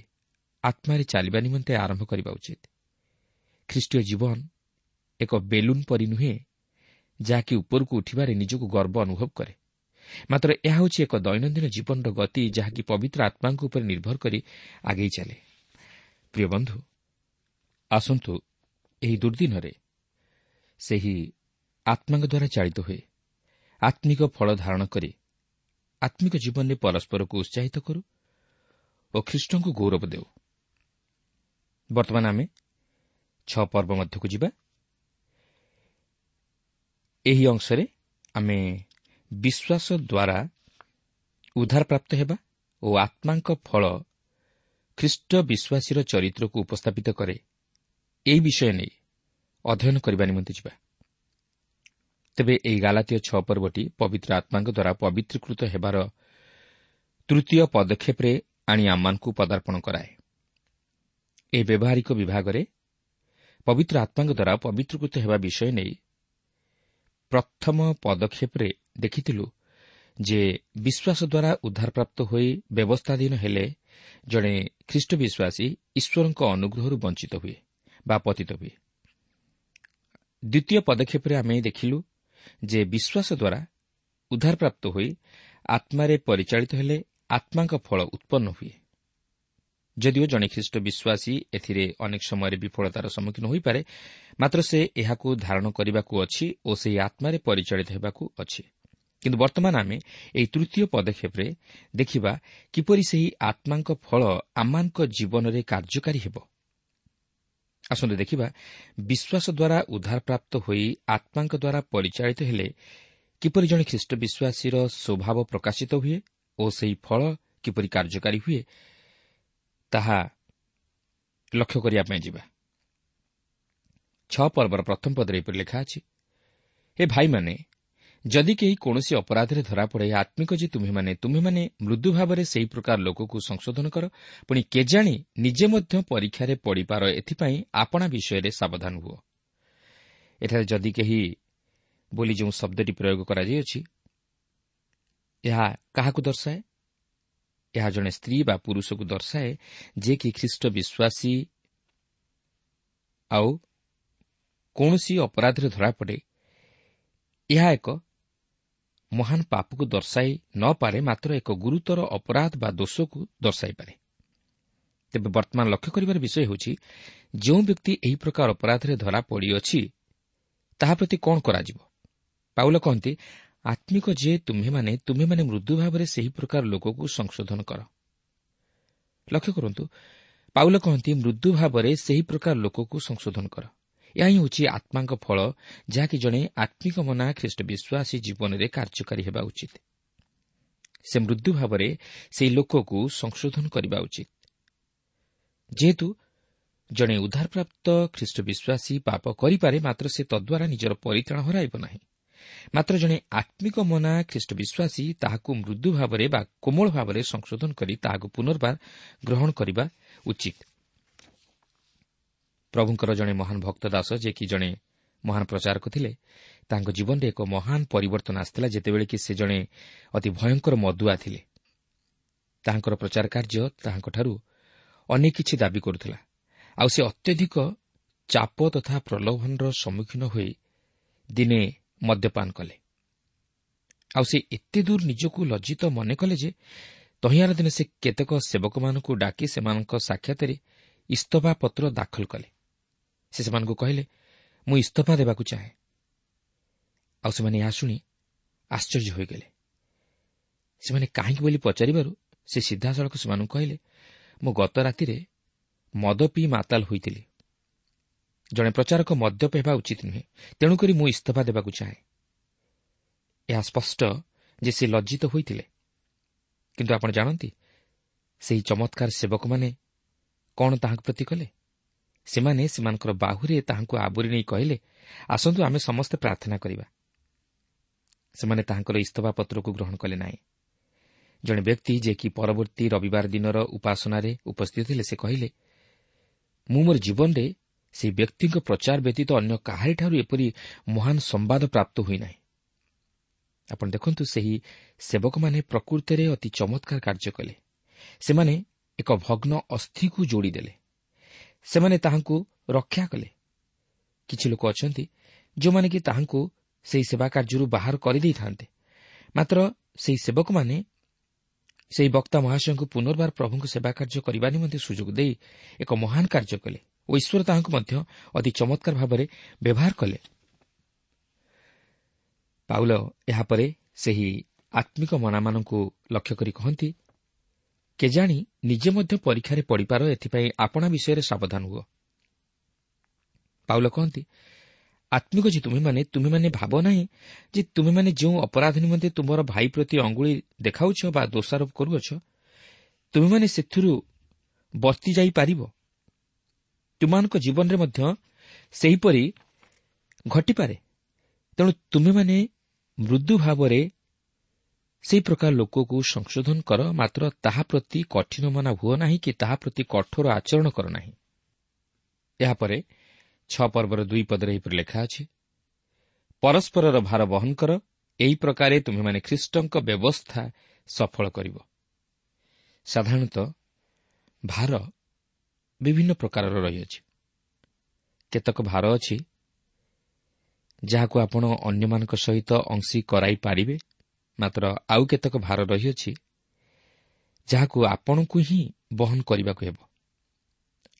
ଆତ୍ମାରେ ଚାଲିବା ନିମନ୍ତେ ଆରମ୍ଭ କରିବା ଉଚିତ। ଖ୍ରୀଷ୍ଟୀୟ ଜୀବନ ଏକ ବେଲୁନ୍ ପରି ନୁହେଁ, ଯାହାକି ଉପରକୁ ଉଠିବାରେ ନିଜକୁ ଗର୍ବ ଅନୁଭବ କରେ। ମାତ୍ର ଏହା ହେଉଛି ଏକ ଦୈନନ୍ଦିନ ଜୀବନର ଗତି, ଯାହାକି ପବିତ୍ର ଆତ୍ମାଙ୍କ ଉପରେ ନିର୍ଭର କରି ଆଗେଇ ଚାଲେ। ପ୍ରିୟ ବନ୍ଧୁ, ଆସନ୍ତୁ ଏହି ଦୁର୍ଦ୍ଦିନରେ ସେହି ଆତ୍ମାଙ୍କ ଦ୍ୱାରା ଚାଳିତ ହୋଇ ଆତ୍ମିକ ଫଳ ଧାରଣ କରି ଆତ୍ମିକ ଜୀବନରେ ପରସ୍ପରକୁ ଉତ୍ସାହିତ କରୁ ଓ ଖ୍ରୀଷ୍ଟଙ୍କୁ ଗୌରବ ଦେଉ। ବର୍ତ୍ତମାନ ଆମେ 6 ପର୍ବ ମଧ୍ୟକୁ ଯିବା। ଏହି ଅଂଶରେ ଆମେ ବିଶ୍ୱାସ ଦ୍ୱାରା ଉଦ୍ଧାରପ୍ରାପ୍ତ ହେବା ଓ ଆତ୍ମାଙ୍କ ଫଳ ଖ୍ରୀଷ୍ଟ ବିଶ୍ୱାସୀର ଚରିତ୍ରକୁ ଉପସ୍ଥାପିତ କରେ, ଏହି ବିଷୟ ନେଇ ଅଧ୍ୟୟନ କରିବା ନିମନ୍ତେ ଯିବା। ତେବେ ଏହି ଗାଲାତୀୟ 6 ପର୍ବଟି ପବିତ୍ର ଆତ୍ମାଙ୍କ ଦ୍ୱାରା ପବିତ୍ରୀକୃତ ହେବାର ତୃତୀୟ ପଦକ୍ଷେପରେ ଆଣି ଆମମାନଙ୍କୁ ପଦାର୍ପଣ କରାଏ। ଏହି ବ୍ୟବହାରିକ ବିଭାଗରେ ପବିତ୍ର ଆତ୍ମାଙ୍କ ଦ୍ୱାରା ପବିତ୍ରୀକୃତ ହେବା ବିଷୟ ନେଇ ପ୍ରଥମ ପଦକ୍ଷେପରେ ଦେଖିଥିଲୁ ଯେ ବିଶ୍ୱାସ ଦ୍ୱାରା ଉଦ୍ଧାରପ୍ରାପ୍ତ ହୋଇ ବ୍ୟବସ୍ଥାଧୀନ ହେଲେ ଜଣେ ଖ୍ରୀଷ୍ଟ ବିଶ୍ୱାସୀ ଈଶ୍ୱରଙ୍କ ଅନୁଗ୍ରହରୁ ବଞ୍ଚିତ ହୁଏ ବା ପତିତ ହୁଏ। ଦ୍ୱିତୀୟ ପଦକ୍ଷେପରେ ଆମେ ଦେଖିଲୁ ଯେ ବିଶ୍ୱାସ ଦ୍ୱାରା ଉଦ୍ଧାରପ୍ରାପ୍ତ ହୋଇ ଆତ୍ମାରେ ପରିଚାଳିତ ହେଲେ ଆତ୍ମାଙ୍କ ଫଳ ଉତ୍ପନ୍ନ ହୁଏ। ଯଦିଓ ଜଣେ ଖ୍ରୀଷ୍ଟ ବିଶ୍ୱାସୀ ଏଥିରେ ଅନେକ ସମୟରେ ବିଫଳତାର ସମ୍ମୁଖୀନ ହୋଇପାରେ, ମାତ୍ର ସେ ଏହାକୁ ଧାରଣ କରିବାକୁ ଅଛି ଓ ସେହି ଆତ୍ମାରେ ପରିଚାଳିତ ହେବାକୁ ଅଛି। କିନ୍ତୁ ବର୍ତ୍ତମାନ ଆମେ ଏହି ତୃତୀୟ ପଦକ୍ଷେପରେ ଦେଖିବା କିପରି ସେହି ଆତ୍ମାଙ୍କ ଫଳ ଆମମାନଙ୍କ ଜୀବନରେ କାର୍ଯ୍ୟକାରୀ ହେବ। ଆସନ୍ତୁ ଦେଖିବା ବିଶ୍ୱାସ ଦ୍ୱାରା ଉଦ୍ଧାରପ୍ରାପ୍ତ ହୋଇ ଆତ୍ମାଙ୍କ ଦ୍ୱାରା ପରିଚାଳିତ ହେଲେ କିପରି ଜଣେ ଖ୍ରୀଷ୍ଟ ବିଶ୍ୱାସୀର ସ୍ୱଭାବ ପ୍ରକାଶିତ ହୁଏ ଓ ସେହି ଫଳ କିପରି କାର୍ଯ୍ୟକାରୀ ହୁଏ ତାହା ଲକ୍ଷ୍ୟ କରିବା ପାଇଁ ଯିବା। 6 ପର୍ବର ପ୍ରଥମ ପଦରେ ଏପରି ଲେଖା ଅଛି, ହେ ଭାଇମାନେ, ଯଦି କେହି କୌଣସି ଅପରାଧରେ ଧରାପଡ଼େ, ଆତ୍ମିକ ଯେ ତୁମେମାନେ ମୃଦୁ ଭାବରେ ସେହି ପ୍ରକାର ଲୋକକୁ ସଂଶୋଧନ କର, ପୁଣି କେଜାଣି ନିଜେ ମଧ୍ୟ ପରୀକ୍ଷାରେ ପଡ଼ିପାର, ଏଥିପାଇଁ ଆପଣା ବିଷୟରେ ସାବଧାନ ହୁଅ। ଏଠାରେ ଯଦି କେହି ବୋଲି ଯେଉଁ ଶବ୍ଦଟି ପ୍ରୟୋଗ କରାଯାଇଅଛି, ଏହା କାହାକୁ ଦର୍ଶାଏ? ଏହା ଜଣେ ସ୍ତ୍ରୀ ବା ପୁରୁଷକୁ ଦର୍ଶାଏ ଯିଏକି ଖ୍ରୀଷ୍ଟ ବିଶ୍ୱାସୀ ଆଉ କୌଣସି ଅପରାଧରେ ଧରାପଡ଼େ। ଏହା ଏକ ମହାନ ପାପକୁ ଦର୍ଶାଇ ନପାରେ, ମାତ୍ର ଏକ ଗୁରୁତର ଅପରାଧ ବା ଦୋଷକୁ ଦର୍ଶାଇପାରେ। ତେବେ ବର୍ତ୍ତମାନ ଲକ୍ଷ୍ୟ କରିବାର ବିଷୟ ହେଉଛି, ଯେଉଁ ବ୍ୟକ୍ତି ଏହି ପ୍ରକାର ଅପରାଧରେ ଧରା ପଡ଼ିଅଛି ତାହା ପ୍ରତି କ'ଣ କରାଯିବ? ପାଉଲ କହନ୍ତି, ଆତ୍ମିକ ଯେ ତୁମେମାନେ ମୃଦୁ ଭାବରେ ସେହି ପ୍ରକାର ଲୋକକୁ ସଂଶୋଧନ କର। ଲକ୍ଷ୍ୟ କରନ୍ତୁ, ପାଉଲ କହନ୍ତି ମୃଦୁ ଭାବରେ ସେହି ପ୍ରକାର ଲୋକକୁ ସଂଶୋଧନ କର। ଏହା ହିଁ ହେଉଛି ଆତ୍ମାଙ୍କ ଫଳ, ଯାହାକି ଜଣେ ଆତ୍ମିକ ମନା ଖ୍ରୀଷ୍ଟ ବିଶ୍ୱାସୀ ଜୀବନରେ କାର୍ଯ୍ୟକାରୀ ହେବା ଉଚିତ। ସେ ମୃଦୁ ଭାବରେ ସେହି ଲୋକକୁ ସଂଶୋଧନ କରିବା ଉଚିତ। ଯେହେତୁ ଜଣେ ଉଦ୍ଧାରପ୍ରାପ୍ତ ଖ୍ରୀଷ୍ଟ ବିଶ୍ୱାସୀ ପାପ କରିପାରେ, ମାତ୍ର ସେ ତଦ୍ୱାରା ନିଜର ପରିତ୍ରାଣ ହରାଇବ ନାହିଁ। ମାତ୍ର ଜଣେ ଆତ୍ମିକ ମନା ଖ୍ରୀଷ୍ଟ ବିଶ୍ୱାସୀ ତାହାକୁ ମୃଦୁ ଭାବରେ ବା କୋମଳ ଭାବରେ ସଂଶୋଧନ କରି ତାହାକୁ ପୁନର୍ବାର ଗ୍ରହଣ କରିବା ଉଚିତ। ପ୍ରଭୁଙ୍କର ଜଣେ ମହାନ ଭକ୍ତ ଦାସ, ଯିଏକି ଜଣେ ମହାନ ପ୍ରଚାରକ ଥିଲେ, ତାଙ୍କ ଜୀବନରେ ଏକ ମହାନ ପରିବର୍ତ୍ତନ ଆସିଥିଲା ଯେତେବେଳେ କି ସେ ଜଣେ ଅତି ଭୟଙ୍କର ମଦୁଆ ଥିଲେ। ତାହାଙ୍କର ପ୍ରଚାର କାର୍ଯ୍ୟ ତାହାଙ୍କଠାରୁ ଅନେକ କିଛି ଦାବି କରୁଥିଲା, ଆଉ ସେ ଅତ୍ୟଧିକ ଚାପ ତଥା ପ୍ରଲୋଭନର ସମ୍ମୁଖୀନ ହୋଇ ଦିନେ ମଦ୍ୟପାନ କଲେ। ଆଉ ସେ ଏତେ ଦୂର ନିଜକୁ ଲଜ୍ଜିତ ମନେ କଲେ ଯେ ତହିଁଆର ଦିନ ସେ କେତେକ ସେବକମାନଙ୍କୁ ଡାକି ସେମାନଙ୍କ ସାକ୍ଷାତରେ ଇସ୍ତଫା ପତ୍ର ଦାଖଲ କଲେ। ସେ ସେମାନଙ୍କୁ କହିଲେ, ମୁଁ ଇସ୍ତଫା ଦେବାକୁ ଚାହେଁ। ଆଉ ସେମାନେ ଏହା ଶୁଣି ଆଶ୍ଚର୍ଯ୍ୟ ହୋଇଗଲେ। ସେମାନେ କାହିଁକି ବୋଲି ପଚାରିବାରୁ ସେ ସିଧାସଳଖ ସେମାନଙ୍କୁ କହିଲେ, ମୁଁ ଗତ ରାତିରେ ମଦ ପିଇ ମାତାଲ ହୋଇଥିଲି। ଜଣେ ପ୍ରଚାରକ ମଦ୍ୟପ ହେବା ଉଚିତ ନୁହେଁ, ତେଣୁକରି ମୁଁ ଇସ୍ତଫା ଦେବାକୁ ଚାହେଁ। ଏହା ସ୍ପଷ୍ଟ ଯେ ସେ ଲଜ୍ଜିତ ହୋଇଥିଲେ। କିନ୍ତୁ ଆପଣ ଜାଣନ୍ତି ସେହି ଚମତ୍କାର ସେବକମାନେ କ'ଣ ତାହାଙ୍କ ପ୍ରତି କଲେ? ସେମାନେ ସେମାନଙ୍କର ବାହୁରେ ତାହାଙ୍କୁ ଆବୋରି ନେଇ କହିଲେ, ଆସନ୍ତୁ ଆମେ ସମସ୍ତେ ପ୍ରାର୍ଥନା କରିବା। ସେମାନେ ତାହାଙ୍କର ଇସ୍ତଫା ପତ୍ରକୁ ଗ୍ରହଣ କଲେ ନାହିଁ। ଜଣେ ବ୍ୟକ୍ତି ଯିଏକି ପରବର୍ତ୍ତୀ ରବିବାର ଦିନର ଉପାସନାରେ ଉପସ୍ଥିତ ଥିଲେ, ସେ କହିଲେ, ମୁଁ ମୋର ଜୀବନରେ ସେହି ବ୍ୟକ୍ତିଙ୍କ ପ୍ରଚାର ବ୍ୟତୀତ ଅନ୍ୟ କାହାରିଠାରୁ ଏପରି ମହାନ ସମ୍ବାଦ ପ୍ରାପ୍ତ ହୋଇନାହିଁ। ଆପଣ ଦେଖନ୍ତୁ, ସେହି ସେବକମାନେ ପ୍ରକୃତରେ ଅତି ଚମତ୍କାର କାର୍ଯ୍ୟ କଲେ। ସେମାନେ ଏକ ଭଗ୍ନ ଅସ୍ଥିକୁ ଯୋଡ଼ିଦେଲେ। ସେମାନେ ତାହାଙ୍କୁ ରକ୍ଷା କଲେ। କିଛି ଲୋକ ଅଛନ୍ତି ଯେଉଁମାନେ କି ତାହାଙ୍କୁ ସେହି ସେବା କାର୍ଯ୍ୟରୁ ବାହାର କରିଦେଇଥାନ୍ତେ, ମାତ୍ର ସେହି ସେବକମାନେ ସେହି ବକ୍ତା ମହାଶୟଙ୍କୁ ପୁନର୍ବାର ପ୍ରଭୁଙ୍କ ସେବା କାର୍ଯ୍ୟ କରିବା ନିମନ୍ତେ ସୁଯୋଗ ଦେଇ ଏକ ମହାନ କାର୍ଯ୍ୟ କଲେ ଓ ଈଶ୍ୱର ତାହାଙ୍କୁ ମଧ୍ୟ ଅତି ଚମତ୍କାର ଭାବରେ ବ୍ୟବହାର କଲେ। ପାଉଲ ଏହାପରେ ସେହି ଆତ୍ମିକ ମନାମାନଙ୍କୁ ଲକ୍ଷ୍ୟ କରି କହନ୍ତି, କେଜାଣି ନିଜେ ମଧ୍ୟ ପରୀକ୍ଷାରେ ପଡ଼ିପାର, ଏଥିପାଇଁ ଆପଣା ବିଷୟରେ ସାବଧାନ ହୁଅ। ପାଉଲ କହନ୍ତି, ଆତ୍ମିକ ଯେ ତୁମେମାନେ ଭାବ ନାହିଁ ଯେ ତୁମେମାନେ ଯେଉଁ ଅପରାଧ ନିମନ୍ତେ ତୁମର ଭାଇ ପ୍ରତି ଅଙ୍ଗୁଳି ଦେଖାଉଛ ବା ଦୋଷାରୋପ କରୁଅଛ, ତୁମେମାନେ ସେଥିରୁ ବର୍ତ୍ତି ଯାଇପାରିବ। ତୁମମାନଙ୍କ ଜୀବନରେ ମଧ୍ୟ ସେହିପରି ଘଟିପାରେ। ତେଣୁ ତୁମେମାନେ ମୃଦୁ ଭାବରେ ସେହି ପ୍ରକାର ଲୋକକୁ ସଂଶୋଧନ କର, ମାତ୍ର ତାହା ପ୍ରତି କଠିନ ମନା ହୁଅ ନାହିଁ କି ତାହା ପ୍ରତି କଠୋର ଆଚରଣ କର ନାହିଁ। ଏହାପରେ 6 ପର୍ବର 2 ପଦରେ ଏହିପରି ଲେଖା ଅଛି, ପରସ୍ପରର ଭାର ବହନ କର, ଏହି ପ୍ରକାରେ ତୁମେମାନେ ଖ୍ରୀଷ୍ଟଙ୍କ ବ୍ୟବସ୍ଥା ସଫଳ କରିବ। ସାଧାରଣତଃ ଭାର ବିଭିନ୍ନ ପ୍ରକାରର ରହିଅଛି। କେତେକ ଭାର ଅଛି ଯାହାକୁ ଆପଣ ଅନ୍ୟମାନଙ୍କ ସହିତ ଅଂଶୀ କରାଇ ପାରିବେ, ମାତ୍ର ଆଉ କେତେକ ଭାର ରହିଅଛି ଯାହାକୁ ଆପଣଙ୍କୁ ହିଁ ବହନ କରିବାକୁ ହେବ,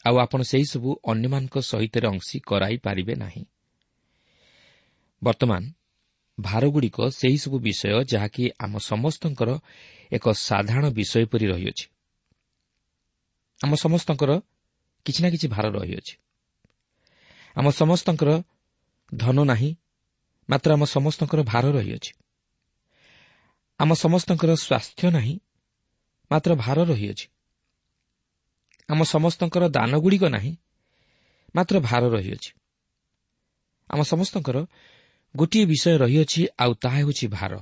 ଆଉ ଆପଣ ସେହିସବୁ ଅନ୍ୟମାନଙ୍କ ସହିତ ଅଂଶୀ କରାଇ ପାରିବେ ନାହିଁ। ବର୍ତ୍ତମାନ ଭାରଗୁଡ଼ିକ ସେହିସବୁ ବିଷୟ ଯାହାକି ଆମ ସମସ୍ତଙ୍କର ଏକ ସାଧାରଣ ବିଷୟ ପରି ରହିଅଛି। ଆମ ସମସ୍ତଙ୍କର କିଛି ନା କିଛି ଭାର ରହିଅଛି। ଆମ ସମସ୍ତଙ୍କର ଧନ ନାହିଁ, ମାତ୍ର ଆମ ସମସ୍ତଙ୍କର ଭାର ରହିଅଛି। ଆମ ସମସ୍ତଙ୍କର ସ୍ୱାସ୍ଥ୍ୟ ନାହିଁ, ମାତ୍ର ଭାର ରହିଅଛି। ଆମ ସମସ୍ତଙ୍କର ଦାନଗୁଡ଼ିକ ନାହିଁ, ମାତ୍ର ଭାର ରହିଅଛି। ଆମ ସମସ୍ତଙ୍କର ଗୋଟିଏ ବିଷୟ ରହିଅଛି, ଆଉ ତାହା ହେଉଛି ଭାର।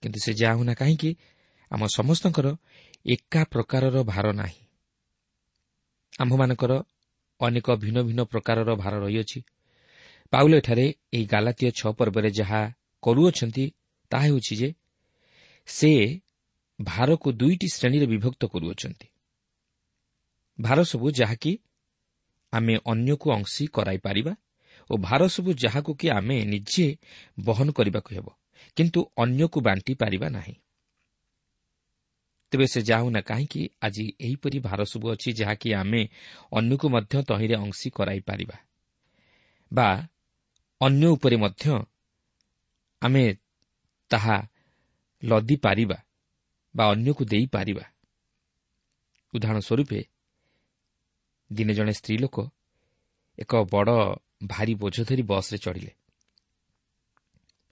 କିନ୍ତୁ ସେ ଯାହା ହେଉନା କାହିଁକି, ଆମ ସମସ୍ତଙ୍କର ଏକା ପ୍ରକାରର ଭାର ନାହିଁ। ଆମ୍ଭମାନଙ୍କର ଅନେକ ଭିନ୍ନ ଭିନ୍ନ ପ୍ରକାରର ଭାର ରହିଅଛି। ପାଉଲ ଏଠାରେ ଏହି ଗାଲାତୀୟ 6 ପର୍ବରେ ଯାହା କରୁଅଛନ୍ତି ତାହା ହେଉଛି ଯେ ସେ ଭାରକୁ 2ଟି ଶ୍ରେଣୀରେ ବିଭକ୍ତ କରୁଅଛନ୍ତି। ଭାର ସବୁ ଯାହାକି ଆମେ ଅନ୍ୟକୁ ଅଂଶୀ କରାଇପାରିବା ଓ ଭାର ସବୁ ଯାହାକୁ କି ଆମେ ନିଜେ ବହନ କରିବାକୁ ହେବ, କିନ୍ତୁ ଅନ୍ୟକୁ ବାଣ୍ଟି ପାରିବା ନାହିଁ। ତେବେ ସେ ଯାହା ହେଉନା କାହିଁକି, ଆଜି ଏହିପରି ଭାର ସବୁ ଅଛି ଯାହାକି ଆମେ ଅନ୍ୟକୁ ମଧ୍ୟ ତହିଁରେ ଅଂଶୀ କରାଇପାରିବା ବା ଅନ୍ୟ ଉପରେ ମଧ୍ୟ ଆମେ ତାହା ଲଦି ପାରିବା ବା ଅନ୍ୟକୁ ଦେଇପାରିବା। ଉଦାହରଣ ସ୍ୱରୂପେ, ଦିନେ ଜଣେ ସ୍ତ୍ରୀ ଲୋକ ଏକ ବଡ଼ ଭାରି ବୋଝ ଧରି ବସ୍ରେ ଚଢ଼ିଲେ,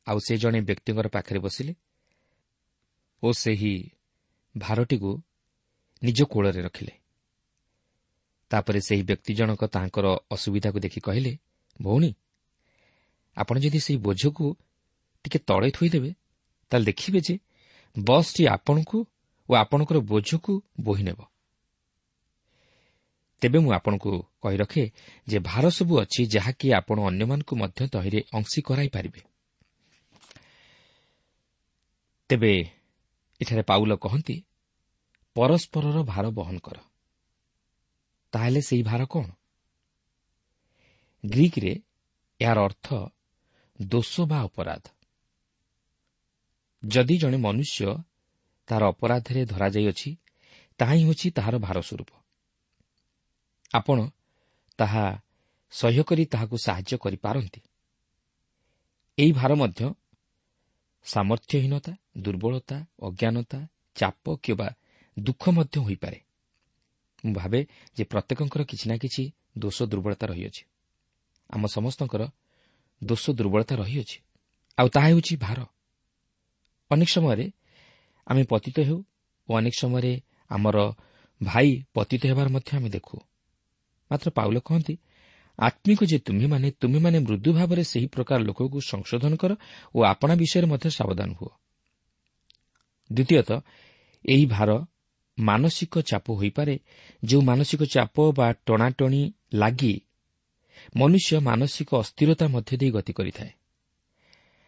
ଆଉ ସେ ଜଣେ ବ୍ୟକ୍ତିଙ୍କର ପାଖରେ ବସିଲେ ଓ ସେହି ଭାରଟିକୁ ନିଜ କୋଳରେ ରଖିଲେ। ତାପରେ ସେହି ବ୍ୟକ୍ତି ଜଣକ ତାଙ୍କର ଅସୁବିଧାକୁ ଦେଖି କହିଲେ, ଭଉଣୀ, ଆପଣ ଯଦି ସେହି ବୋଝକୁ ଟିକେ ତଳେ ଥୋଇଦେବେ, ତାହେଲେ ଦେଖିବେ ଯେ ବସ୍ଟି ଆପଣଙ୍କୁ ଓ ଆପଣଙ୍କର ବୋଝକୁ ବୋହି ନେବ। ତେବେ ମୁଁ ଆପଣଙ୍କୁ କହି ରଖେ ଯେ ଭାର ସବୁ ଅଛି ଯାହାକି ଆପଣ ଅନ୍ୟମାନଙ୍କୁ ମଧ୍ୟ ତହିଁରେ ଅଂଶୀ କରାଇପାରିବେ। ତେବେ ଏଠାରେ ପାଉଲ କହନ୍ତି, ପରସ୍ପରର ଭାର ବହନ କର। ତାହେଲେ ସେହି ଭାର କ'ଣ? ଗ୍ରୀକରେ ଏହାର ଅର୍ଥ ଦୋଷ ବା ଅପରାଧ। ଯଦି ଜଣେ ମନୁଷ୍ୟ ତାହାର ଅପରାଧରେ ଧରାଯାଇଅଛି, ତାହା ହିଁ ହେଉଛି ତାହାର ଭାର ସ୍ୱରୂପ। ଆପଣ ତାହା ସହ୍ୟ କରି ତାହାକୁ ସାହାଯ୍ୟ କରିପାରନ୍ତି। ଏହି ଭାର ମଧ୍ୟ ସାମର୍ଥ୍ୟହୀନତା, ଦୁର୍ବଳତା, ଅଜ୍ଞାନତା, ଚାପ କିମ୍ବା ଦୁଃଖ ମଧ୍ୟ ହୋଇପାରେ। ମୁଁ ଭାବେ ଯେ ପ୍ରତ୍ୟେକଙ୍କର କିଛି ନା କିଛି ଦୋଷ ଦୁର୍ବଳତା ରହିଅଛି। ଆମ ସମସ୍ତଙ୍କର ଦୋଷ ଦୁର୍ବଳତା ରହିଅଛି, ଆଉ ତାହା ହେଉଛି ଭାର। ଅନେକ ସମୟରେ ଆମେ ପତିତ ହେଉ ଓ ଅନେକ ସମୟରେ ଆମର ଭାଇ ପତିତ ହେବାର ମଧ୍ୟ ଆମେ ଦେଖୁ। ମାତ୍ର ପାଉଲ କହନ୍ତି, ଆତ୍ମିକ ଯେ ତୁମ୍ଭେମାନେ, ତୁମ୍ଭେମାନେ ମୃଦୁ ଭାବରେ ସେହି ପ୍ରକାର ଲୋକକୁ ସଂଶୋଧନ କର ଓ ଆପଣା ବିଷୟରେ ମଧ୍ୟ ସାବଧାନ ହୁଅ। ଦ୍ୱିତୀୟତଃ, ଏହି ଭାର ମାନସିକ ଚାପ ହୋଇପାରେ, ଯେଉଁ ମାନସିକ ଚାପ ବା ଟଣାଟଣି ଲାଗି ମନୁଷ୍ୟ ମାନସିକ ଅସ୍ଥିରତା ମଧ୍ୟ ଦେଇ ଗତି କରିଥାଏ।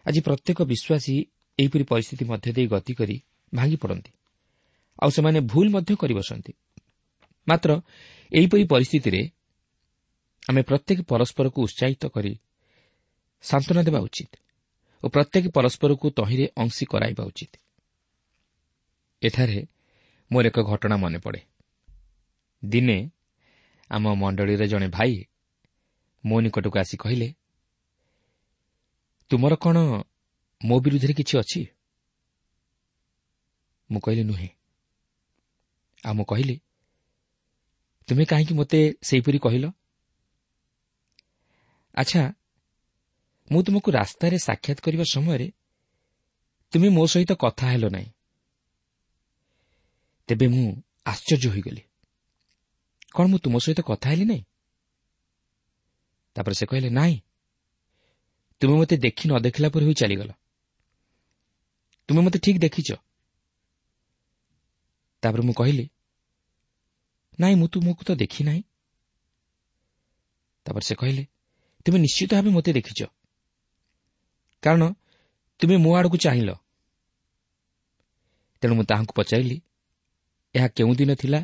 ଆଜି ପ୍ରତ୍ୟେକ ବିଶ୍ୱାସୀ ଏହିପରି ପରିସ୍ଥିତି ମଧ୍ୟ ଦେଇ ଗତି କରି ଭାଙ୍ଗି ପଡ଼ନ୍ତି, ଆଉ ସେମାନେ ଭୁଲ ମଧ୍ୟ କରିବସନ୍ତି। ମାତ୍ର ଏହିପରି ପରିସ୍ଥିତିରେ ଆମେ ପ୍ରତ୍ୟେକ ପରସ୍ପରକୁ ଉତ୍ସାହିତ କରି ସାନ୍ତ୍ୱନା ଦେବା ଉଚିତ ଓ ପ୍ରତ୍ୟେକ ପରସ୍ପରକୁ ତହିଁରେ ଅଂଶୀ କରାଇବା ଉଚିତ। ଏଠାରେ ମୋର ଏକ ଘଟଣା ମନେ ପଡ଼େ। ଦିନେ ଆମ ମଣ୍ଡଳୀର ଜଣେ ଭାଇ ମୋ ନିକଟକୁ ଆସି କହିଲେ, ତୁମର କ'ଣ ମୋ ବିରୁଦ୍ଧରେ କିଛି ଅଛି? ମୁଁ କହିଲି, ନୁହେଁ। ଆଉ ମୁଁ କହିଲି, ତୁମେ କାହିଁକି ମୋତେ ସେହିପରି କହିଲ? ଆଚ୍ଛା, ମୁଁ ତୁମକୁ ରାସ୍ତାରେ ସାକ୍ଷାତ କରିବା ସମୟରେ ତୁମେ ମୋ ସହିତ କଥା ହେଲ ନାହିଁ। ତେବେ ମୁଁ ଆଶ୍ଚର୍ଯ୍ୟ ହୋଇଗଲି। କ'ଣ ମୁଁ ତୁମ ସହିତ କଥା ହେଲି ନାହିଁ? ତାପରେ ସେ କହିଲେ, ନାଇଁ, ତୁମେ ମୋତେ ଦେଖି ନ ଦେଖିଲା ପରି ହୋଇ ଚାଲିଗଲ। ତୁମେ ମୋତେ ଠିକ୍ ଦେଖିଛ। ତାପରେ ମୁଁ କହିଲି, ନାଇଁ, ମୁଁ ତୁମକୁ ତ ଦେଖି ନାହିଁ। ତାପରେ ସେ କହିଲେ, ତୁମେ ନିଶ୍ଚିତ ଭାବେ ମୋତେ ଦେଖିଛ, କାରଣ ତୁମେ ମୋ ଆଡ଼କୁ ଚାହିଁଲ। ତେଣୁ ମୁଁ ତାହାଙ୍କୁ ପଚାରିଲି, ଏହା କେଉଁ ଦିନ ଥିଲା?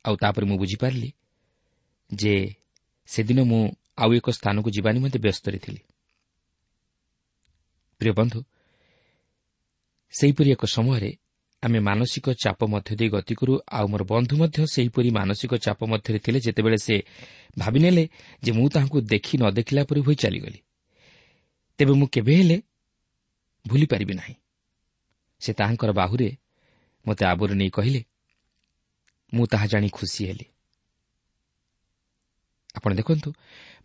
ଆଉ ତାପରେ ମୁଁ ବୁଝିପାରିଲି ଯେ ସେଦିନ ମୁଁ ଆଉ ଏକ ସ୍ଥାନକୁ ଯିବା ନିମନ୍ତେ ବ୍ୟସ୍ତରେ ଥିଲି। ପ୍ରିୟ ବନ୍ଧୁ, ସେହିପରି ଏକ ସମୟରେ ଆମେ ମାନସିକ ଚାପ ମଧ୍ୟ ଦେଇ ଗତି କରୁ। ଆଉ ମୋର ବନ୍ଧୁ ମଧ୍ୟ ସେହିପରି ମାନସିକ ଚାପ ମଧ୍ୟରେ ଥିଲେ, ଯେତେବେଳେ ସେ ଭାବିନେଲେ ଯେ ମୁଁ ତାହାଙ୍କୁ ଦେଖି ନ ଦେଖିଲା ପରି ହୋଇ ଚାଲିଗଲି। ତେବେ ମୁଁ କେବେ ହେଲେ ଭୁଲିପାରିବି ନାହିଁ। ସେ ତାହାଙ୍କର ବାହୁରେ ମୋତେ ଆବୋରି ନେଇ କହିଲେ, ମୁଁ ତାହା ଜାଣି ଖୁସି ହେଲି। ଆପଣ ଦେଖନ୍ତୁ,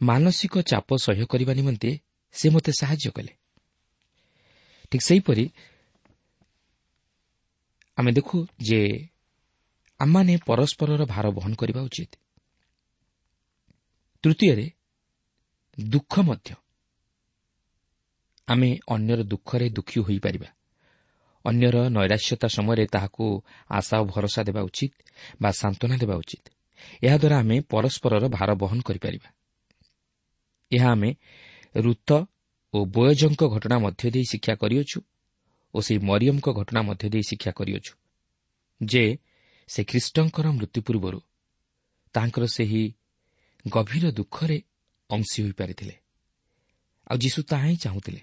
ମାନସିକ ଚାପ ସହ୍ୟ କରିବା ନିମନ୍ତେ ସେ ମୋତେ ସାହାଯ୍ୟ କଲେ। ଠିକ୍ ସେହିପରି ଆମେ ଦେଖୁ ଯେ ଆମମାନେ ପରସ୍ପରର ଭାର ବହନ କରିବା ଉଚିତ। ତୃତୀୟରେ, ଦୁଃଖ ମଧ୍ୟ। ଆମେ ଅନ୍ୟର ଦୁଃଖରେ ଦୁଃଖୀ ହୋଇପାରିବା। ଅନ୍ୟର ନୈରାଶ୍ୟତା ସମୟରେ ତାହାକୁ ଆଶା ଓ ଭରସା ଦେବା ଉଚିତ ବା ସାନ୍ତ୍ୱନା ଦେବା ଉଚିତ। ଏହାଦ୍ୱାରା ଆମେ ପରସ୍ପରର ଭାର ବହନ କରିପାରିବା। ଏହା ଆମେ ଋତ ଓ ବୋୟଜଙ୍କ ଘଟଣା ମଧ୍ୟ ଦେଇ ଶିକ୍ଷା କରିଅଛୁ ଓ ସେହି ମରିୟମଙ୍କ ଘଟଣା ମଧ୍ୟ ଦେଇ ଶିକ୍ଷା କରିଅଛୁ ଯେ ସେ ଖ୍ରୀଷ୍ଟଙ୍କର ମୃତ୍ୟୁ ପୂର୍ବରୁ ତାଙ୍କର ସେହି ଗଭୀର ଦୁଃଖରେ ଅଂଶୀ ହୋଇପାରିଥିଲେ, ଆଉ ଯୀଶୁ ତାହା ହିଁ ଚାହୁଁଥିଲେ।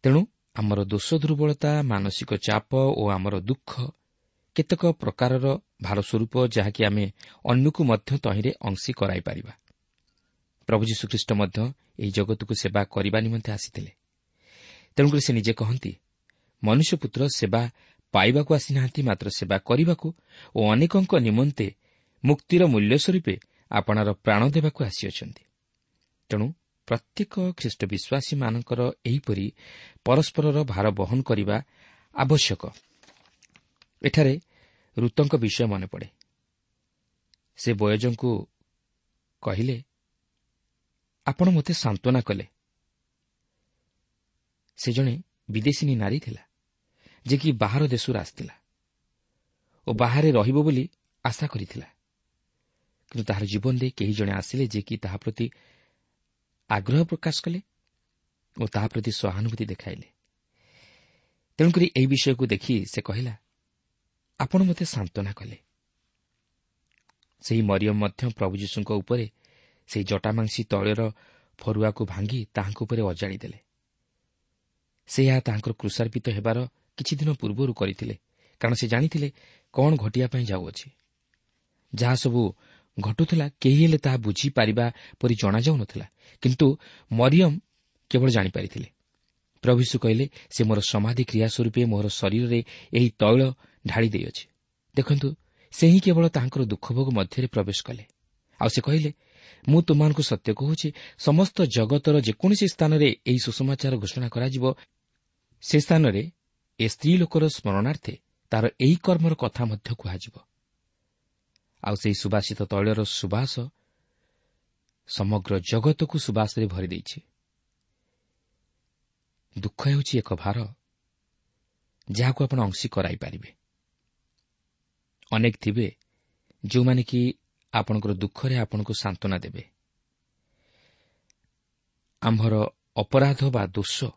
ତେଣୁ ଆମର ଦୋଷ ଦୁର୍ବଳତା, ମାନସିକ ଚାପ ଓ ଆମର ଦୁଃଖ କେତେକ ପ୍ରକାରର ଭାର ସ୍ୱରୂପ, ଯାହାକି ଆମେ ଅନ୍ୟକୁ ମଧ୍ୟ ତହିଁରେ ଅଂଶୀ କରାଇପାରିବା। ପ୍ରଭୁ ଯୀଶୁଖ୍ରୀଷ୍ଟ ମଧ୍ୟ ଏହି ଜଗତକୁ ସେବା କରିବା ନିମନ୍ତେ ଆସିଥିଲେ। ତେଣୁକରି ସେ ନିଜେ କହନ୍ତି, ମନୁଷ୍ୟପୁତ୍ର ସେବା ପାଇବାକୁ ଆସିନାହାନ୍ତି, ମାତ୍ର ସେବା କରିବାକୁ ଓ ଅନେକଙ୍କ ନିମନ୍ତେ ମୁକ୍ତିର ମୂଲ୍ୟ ସ୍ୱରୂପେ ଆପଣାର ପ୍ରାଣ ଦେବାକୁ ଆସିଅଛନ୍ତି। ତେଣୁ ପ୍ରତ୍ୟେକ ଖ୍ରୀଷ୍ଟ ବିଶ୍ୱାସୀମାନଙ୍କର ଏହିପରି ପରସ୍ପରର ଭାର ବହନ କରିବା ଆବଶ୍ୟକ। ଏଠାରେ ଋତଙ୍କ ବିଷୟ ମନେ ପଡ଼େ। ସେ ବୋୟଜଙ୍କୁ କହିଲେ, ଆପଣ ମୋତେ ସାନ୍ତ୍ୱନା କଲେ। ସେ ଜଣେ ବିଦେଶିନୀ ନାରୀ ଥିଲା, ଯେ କି ବାହାର ଦେଶରୁ ଆସିଥିଲା ଓ ବାହାରେ ରହିବ ବୋଲି ଆଶା କରିଥିଲା। କିନ୍ତୁ ତାହାର ଜୀବନରେ କେହି ଜଣେ ଆସିଲେ, ଯେ କି ତାହା ପ୍ରତି ଆଗ୍ରହ ପ୍ରକାଶ କଲେ ଓ ତାହା ପ୍ରତି ସହାନୁଭୂତି ଦେଖାଇଲେ। ତେଣୁକରି ଏହି ବିଷୟକୁ ଦେଖି ସେ କହିଲା, ଆପଣ ମୋତେ ସାନ୍ତ୍ୱନା କଲେ। ସେହି ମରିୟମ ମଧ୍ୟ ପ୍ରଭୁ ଯୀଶୁଙ୍କ ଉପରେ ସେହି ଜଟାମାଂସୀ ତୈଳର ଫରୁଆକୁ ଭାଙ୍ଗି ତାହାଙ୍କ ଉପରେ ଅଜାଡ଼ି ଦେଲେ। ସେ ଏହା ତାହାଙ୍କର କୃଷାର୍ପିତ ହେବାର କିଛି ଦିନ ପୂର୍ବରୁ କରିଥିଲେ, କାରଣ ସେ ଜାଣିଥିଲେ କ'ଣ ଘଟିବା ପାଇଁ ଯାଉଅଛି। ଯାହା ସବୁ ଘଟୁଥିଲା କେହି ହେଲେ ତାହା ବୁଝିପାରିବା ପରି ଜଣାଯାଉନଥିଲା, କିନ୍ତୁ ମରିୟମ କେବଳ ଜାଣିପାରିଥିଲେ। ପ୍ରଭୁ ଯୀଶୁ କହିଲେ, ସେ ମୋର ସମାଧି କ୍ରିୟା ସ୍ୱରୂପେ ମୋର ଶରୀରରେ ଏହି ତୈଳ ଢାଳି ଦେଇଅଛି। ଦେଖନ୍ତୁ, ସେ ହିଁ କେବଳ ତାହାଙ୍କର ଦୁଃଖଭୋଗ ମଧ୍ୟରେ ପ୍ରବେଶ କଲେ। ଆଉ ସେ କହିଲେ, ମୁଁ ତୁମମାନଙ୍କୁ ସତ୍ୟ କହୁଛି, ସମସ୍ତ ଜଗତର ଯେକୌଣସି ସ୍ଥାନରେ ଏହି ସୁସମାଚାର ଘୋଷଣା କରାଯିବ, ସେ ସ୍ଥାନରେ ଏ ସ୍ତ୍ରୀ ଲୋକର ସ୍ମରଣାର୍ଥେ ତାର ଏହି କର୍ମର କଥା ମଧ୍ୟ କୁହାଯିବ। ଆଉ ସେହି ସୁବାସିତ ତୈଳର ସୁବାସ ସମଗ୍ର ଜଗତକୁ ସୁବାସରେ ଭରିଦେଇଛି। ଦୁଃଖ ହେଉଛି ଏକ ଭାର ଯାହାକୁ ଆପଣ ଅଂଶୀ କରାଇପାରିବେ। ଅନେକ ଥିବେ ଯେଉଁମାନେ କି ଆପଣଙ୍କର ଦୁଃଖରେ ଆପଣଙ୍କୁ ସାନ୍ତ୍ୱନା ଦେବେ। ଆମ୍ଭର ଅପରାଧ ବା ଦୋଷ,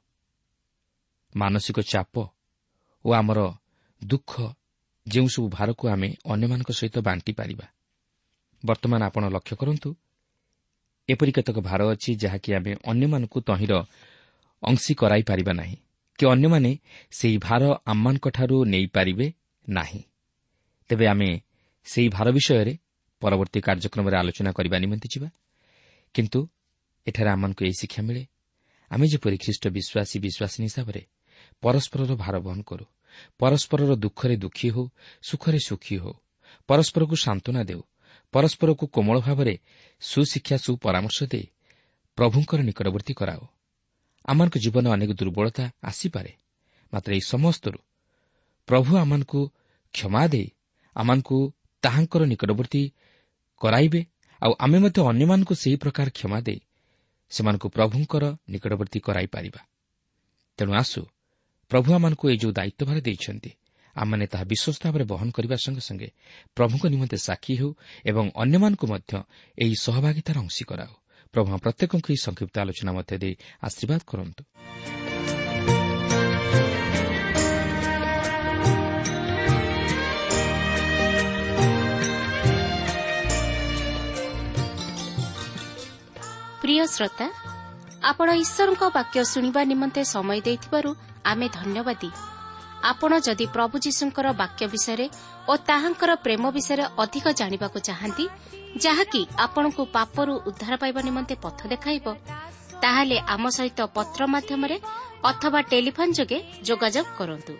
ମାନସିକ ଚାପ ଓ ଆମର ଦୁଃଖ ଯେଉଁସବୁ ଭାରକୁ ଆମେ ଅନ୍ୟମାନଙ୍କ ସହିତ ବାଣ୍ଟି ପାରିବା। ବର୍ତ୍ତମାନ ଆପଣ ଲକ୍ଷ୍ୟ କରନ୍ତୁ, ଏପରି କେତେକ ଭାର ଅଛି ଯାହାକି ଆମେ ଅନ୍ୟମାନଙ୍କୁ ତହିଁର ଅଂଶୀ କରାଇପାରିବା ନାହିଁ କି ଅନ୍ୟମାନେ ସେହି ଭାର ଆମମାନଙ୍କଠାରୁ ନେଇପାରିବେ ନାହିଁ। ତେବେ ଆମେ ସେହି ଭାର ବିଷୟରେ ପରବର୍ତ୍ତୀ କାର୍ଯ୍ୟକ୍ରମରେ ଆଲୋଚନା କରିବା ନିମନ୍ତେ ଯିବା। କିନ୍ତୁ ଏଠାରେ ଆମମାନଙ୍କୁ ଏହି ଶିକ୍ଷା ମିଳେ, ଆମେ ଯେପରି ଖ୍ରୀଷ୍ଟ ବିଶ୍ୱାସୀ ବିଶ୍ୱାସିନୀ ହିସାବରେ ପରସ୍ପରର ଭାର ବହନ କରୁ, ପରସ୍ପରର ଦୁଃଖରେ ଦୁଃଖୀ ହେଉ, ସୁଖରେ ସୁଖୀ ହେଉ, ପରସ୍ପରକୁ ସାନ୍ତ୍ୱନା ଦେଉ, ପରସ୍ପରକୁ କୋମଳ ଭାବରେ ସୁଶିକ୍ଷା ସୁପରାମର୍ଶ ଦେଇ ପ୍ରଭୁଙ୍କର ନିକଟବର୍ତ୍ତୀ କରାଉ। ଆମମାନଙ୍କ ଜୀବନରେ ଅନେକ ଦୁର୍ବଳତା ଆସିପାରେ, ମାତ୍ର ଏହି ସମସ୍ତରୁ ପ୍ରଭୁ ଆମମାନଙ୍କୁ କ୍ଷମା ଦେଇ ଆମମାନଙ୍କୁ ତାହାଙ୍କର ନିକଟବର୍ତ୍ତୀ କରାଇବେ। ଆଉ ଆମେ ମଧ୍ୟ ଅନ୍ୟମାନଙ୍କୁ ସେହି ପ୍ରକାର କ୍ଷମା ଦେଇ ସେମାନଙ୍କୁ ପ୍ରଭୁଙ୍କର ନିକଟବର୍ତ୍ତୀ କରାଇପାରିବା। ତେଣୁ ଆସୁ, ପ୍ରଭୁ ଆମମାନଙ୍କୁ ଏହି ଯେଉଁ ଦାୟିତ୍ୱଭାର ଦେଇଛନ୍ତି, ଆମମାନେ ତାହା ବିଶ୍ୱସ୍ତ ଭାବରେ ବହନ କରିବା ସଙ୍ଗେ ସଙ୍ଗେ ପ୍ରଭୁଙ୍କ ନିମନ୍ତେ ସାକ୍ଷୀ ହେଉ ଏବଂ ଅନ୍ୟମାନଙ୍କୁ ମଧ୍ୟ ଏହି ସହଭାଗିତାର ଅଂଶୀ କରାଉ। ପ୍ରଭୁ ପ୍ରତ୍ୟେକଙ୍କୁ ଏହି ସଂକ୍ଷିପ୍ତ ଆଲୋଚନା ମଧ୍ୟ ଦେଇ ଆଶୀର୍ବାଦ କରନ୍ତୁ। ପ୍ରିୟ ଶ୍ରୋତା, ଆପଣ ଈଶ୍ୱରଙ୍କ ବାକ୍ୟ ଶୁଣିବା ନିମନ୍ତେ ସମୟ ଦେଇଥିବାରୁ ଆମେ ଧନ୍ୟବାଦୀ। ଆପଣ ଯଦି ପ୍ରଭୁ ଯୀଶୁଙ୍କର ବାକ୍ୟ ବିଷୟରେ ଓ ତାହାଙ୍କର ପ୍ରେମ ବିଷୟରେ ଅଧିକ ଜାଣିବାକୁ ଚାହାନ୍ତି, ଯାହାକି ଆପଣଙ୍କୁ ପାପରୁ ଉଦ୍ଧାର ପାଇବା ନିମନ୍ତେ ପଥ ଦେଖାଇବ, ତାହେଲେ ଆମ ସହିତ ପତ୍ର ମାଧ୍ୟମରେ ଅଥବା ଟେଲିଫୋନ୍ ଯୋଗେ ଯୋଗାଯୋଗ କରନ୍ତୁ।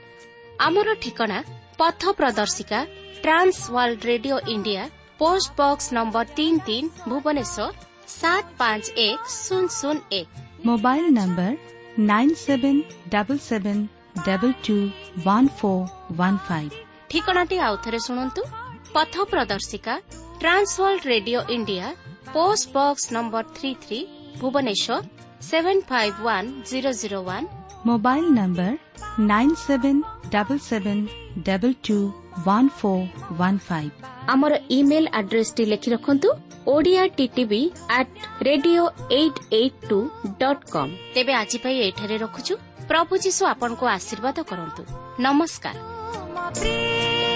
ଆମର ଠିକଣା ପଥ ପ୍ରଦର୍ଶିକା, Trans World Radio India, post box number 33, Bhubaneswar 751001। Mobile number 9777221415। ଠିକଣାଟି ଆଉଥରେ ଶୁଣନ୍ତୁ। ପଥ ପ୍ରଦର୍ଶିକା, Trans World Radio India, post box number 33, Bhubaneswar 751001। Mobile number 9777221415। ଆମର ଇମେଲ୍ ଆଡ୍ରେସଟି ଲେଖି ରଖନ୍ତୁ, Odia TTV at radio 882.com। ତେବେ ଆଜି ପାଇଁ ଏଠାରେ ରଖୁଛୁ। ପ୍ରଭୁ ଯୀଶୁ ଆପଣଙ୍କୁ ଆଶୀର୍ବାଦ କରନ୍ତୁ। ନମସ୍କାର। ପ୍ରିୟ।